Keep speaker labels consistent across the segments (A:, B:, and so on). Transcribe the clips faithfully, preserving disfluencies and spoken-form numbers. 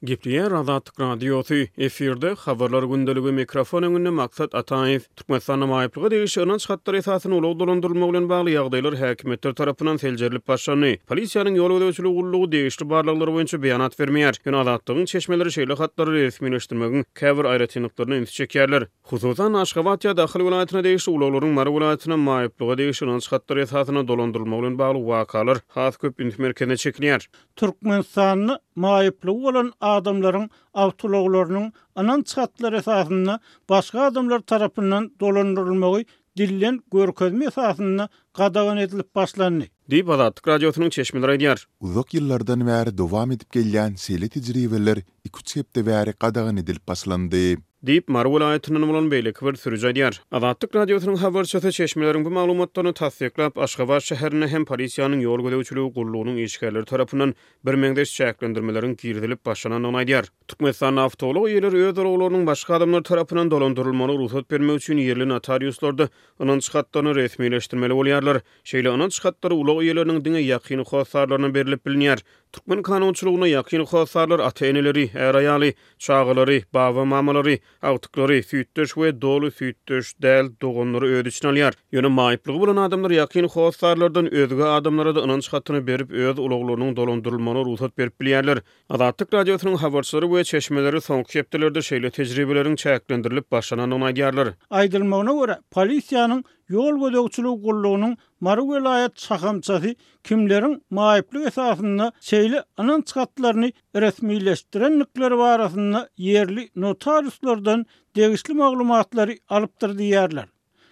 A: Gepleýär Azatlyk Radiosy, efirde Habarlar gündeligi, mikrofon öňünde Maksat Ataýew. Türkmenistanda maýyplyga degişli ynanç hatlary esasynda ulag dolandyrylmagy bilen bagly ýagdaýlar häkimiýetler tarapyndan seljerilip başlandy. Polisiýanyň ýol gözegçiligi gullugy degişli barlaglar boýunça beýanat bermeýär. Ýöne Azatlygyň çeşmeleri şeýle hatlary resmileşdirmegiň käbir aýratynlyklaryna ünsi çekýärler. Hususan, Aşgabat ýa-da Ahal welaýatyna degişli ulaglaryň Mary welaýatyna maýyplyga degişli ynanç hatlary esasynda dolandyrylmagy bilen bagly wakalar has köp üns merkezine çekilýär.
B: Türkmenistanda maýyplygy bolan adamlaryň awtoulaglarynyň ynanç hatlary esasynda başga adamlar tarapyndan dolandyrylmagy dilden görkezme esasynda gadagan edilip başlandy.
A: Diýip, Azatlyk Radiosynyň çeşmeleri aýdýar.
C: Uzak ýyllardan bäri dowam edip gelýän şeýle tejribeler iki-üç hepde bäri gadagan edilip başlandy.
A: Diýip, Mary welaýatyndan bolan beýleki bir sürüji aýdýar. Azatlyk Radiosynyň habarçysy çeşmeleriň bu maglumatlaryny tassyklap, Aşgabat şäherinde hem polisiýanyň ýol gözegçiligi gullugynyň işgärleri tarapyndan birmeňzeş çäklendirmeleriň girizilip başlanandygyny aýdýar. Türkmenistanda awtoulag eýeleri öz ulaglarynyň başga adamlar tarapyndan dolandyrylmagyna rugsat bermek üçin ýerli notariuslarda ynanç hatlaryny resmileşdirmeli bolýarlar. Şeýle ynanç hatlary ulag eýeleriniň diňe ýakyn hossarlaryna berlip bilinýär. Türkmen kanunçylygynda ýakyn hossarlar ata-eneleri, är-aýaly, çagalary, baba-mamalary, agtyklary, süýtdeş we doly süýtdeş däl doganlary öz içine alýar. Ýöne maýyplygy bolan adamlar ýakyn hossarlardan özge adamlara-da ynanç hatyny berip, öz ulaglarynyň dolandyrylmagyna rugsat berip bilýärler. Azatlyk Radiosynyň habarçylary we çeşmeleri soňky hepdelerde şeýle tejribeleriň çäklendirilip başlanandygyny aýdýarlar.
B: Aýdylmagyna görä, polisiýanyň ýol gözegçiligi gullugynyň Mary welaýat şahamçasy kimleriň maýyplyk esasynda şeýle ynanç hatlaryny resmileşdirendikleri barasynda ýerli notariuslardan degişli maglumatlary alypdyr diýýärler.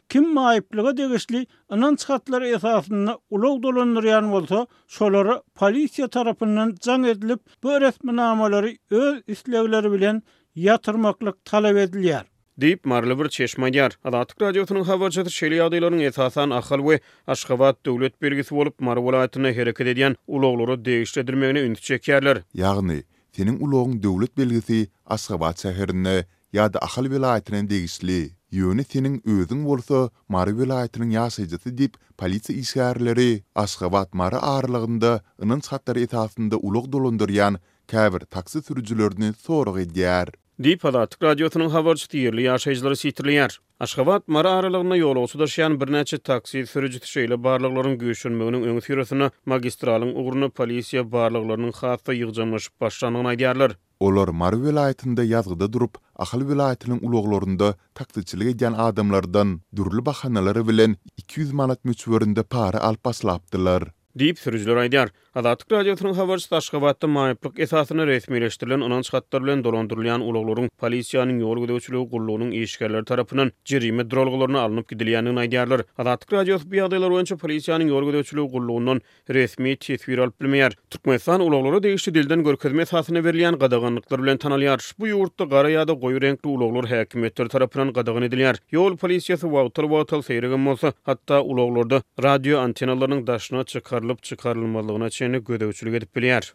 B: Kim maýyplyga degişli ynanç hatlary esasynda ulag dolandyrýan bolsa, şolara polisiýa tarapyndan jaň edilip, bu resminamalary öz islegleri bilen ýatyrmaklyk talap edilýär.
A: Diýip, maryly bir çeşme aýdýar. Azatlyk Radiosynyň habarçysy şeýle ýagdaýlaryň esasan Ahal we Aşgabat döwlet belgisi bolup, Mary welaýatynda hereket edýän ulaglara degişli edilmegine ünsi çekýärler.
C: Ýagny, seniň ulagyň döwlet belgisi Aşgabat şäherine ýa-da Ahal welaýatyna degişli, ýöne seniň özüň bolsa Mary welaýatynyň ýaşaýjysy diýip, polisiýa işgärleri Aşgabat-Mary aralygynda ynanç hatlary esasynda ulag dolandyrýan käbir taksi sürüjilerini sorag edýär.
A: Diýip, Azatlyk Radiosynyň habarçysy ýerli ýaşaýjylary sitirleýär. Aşgabat-Mary aralygynda ýolagçy daşaýan birnäçe taksi sürüjisi şeýle barlaglaryň güýçlenmeginiň öňüsyrasynda magistralyň ugrunda polisiýa barlaglarynyň has-da ýygjamlaşyp başlandygyny aýdýarlar.
C: Olar Mary welaýatynda ýazgyda durup, Ahal welaýatynyň ulaglarynda taksiçilik edýän adamlardan dürli bahanalar bilen iki ýüz manat möçberinde para alyp başlapdylar.
A: Diýip, sürüjiler aýdýar. Azatlyk Radiosynyň habarçysy Aşgabatda maýyplyk esasynda resmileşdirilen ynanç hatlary bilen dolandyrylýan ulaglaryň polisiýanyň ýol gözegçiligi gullugynyň işgärleri tarapyndan jerime duralgalaryna alnyp gidilýändigini aýdýarlar. Azatlyk Radiosy bu ýagdaýlar boýunça polisiýanyň ýol gözegçiligi gullugyndan resmi teswir alyp bilmeýär. Türkmenistan ulaglara degişli dilden görkezme esasynda berilýän gadaganlyklar bilen tanalýar. Bu ýurtda gara ýa-da goýy reňkli ulaglar häkimiýetler tarapyndan gadagan edilýär. Ýol polisiýasy wagtal-wagtal seýregem bolsa, hatda ulaglarda radio antenalarynyň daşyna çykarylyp-çykarylmazlygyna çenli gözegçilik edip bilýär.